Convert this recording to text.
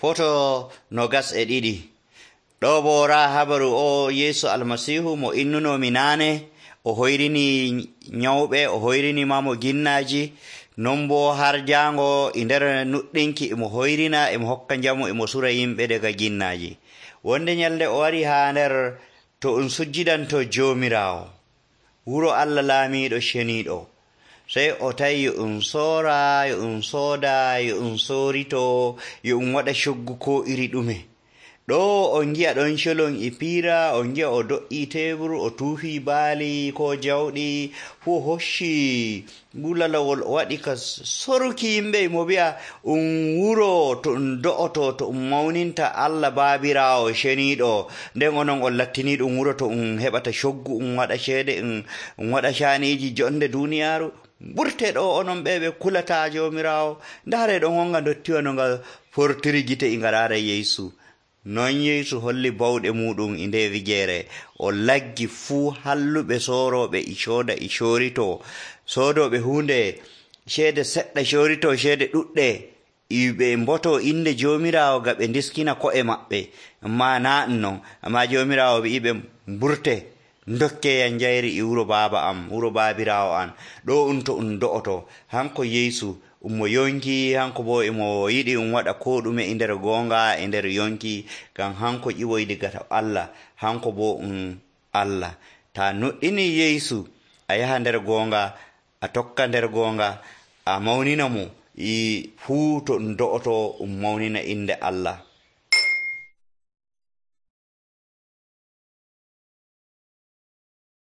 Foto 22 ɗo bo raa habaru o Yeesu almasihu mo innunomi naane o hoyrini nyawɓe o hoyrini mamo ginnaaji non bo har jaango e nder nuɗɗinki emo hoyrina emo hokka njamu emo sura yimɓe daga ginnaaji. Wonde nyalde o wari haa nder to sujjidanto Joomiraawo wuro Allah laamiiɗo ceniiɗo. Sey o tawi yo soora yo sooda yo soorito yo waɗa coggu ko iri ɗume. Ɗo on gi'a ɗon colon e piira, on gi'a o do'ii tebur, o tuufi baali ko jawɗi, fuu hocci bulalawol o waɗi ka soruki yimɓe mo wi'a wuro to do'oto to mawninta Allah Baabiraawo ceniiɗo, nden onon on lattini ɗum wuro to heɓata coggu waɗa ceede waɗa caaniiji jonde duuniyaaru. Ɓurte ɗo onon ɓe kulata Joomiraawo. Ndaare ɗon wonga dottiwa no nga fortiri gite e ngaraara Yeesu. Non Yeesu holli bawɗe muɗum e nde wigeere. O laggi fuu halluɓe soorooɓe e cooda e coorito, soodooɓe huunde ceede seɗɗa coorito ceede ɗuɗɗe ɓe mboto inde Joomiraawo ga ɓe ndiskina ko'e maɓɓe. Amma naa non, amma Joomiraawo wi'iɓe mburte ndokke njayri e wuro baaba am, wuro Baabiraawo an. Ɗo to do'oto. Hanko Yeesu mo yonki, hanko bo emo yiɗi waɗa ko ɗume e nder goonga e nder yonki, ngam hanko ƴiwoy diga to Allah, hanko bo Allah. Ta nuɗɗini Yeesu a yaha nder goonga, a tokka nder goonga, a mawnina mo fuu to do'oto mawnina inde Allah.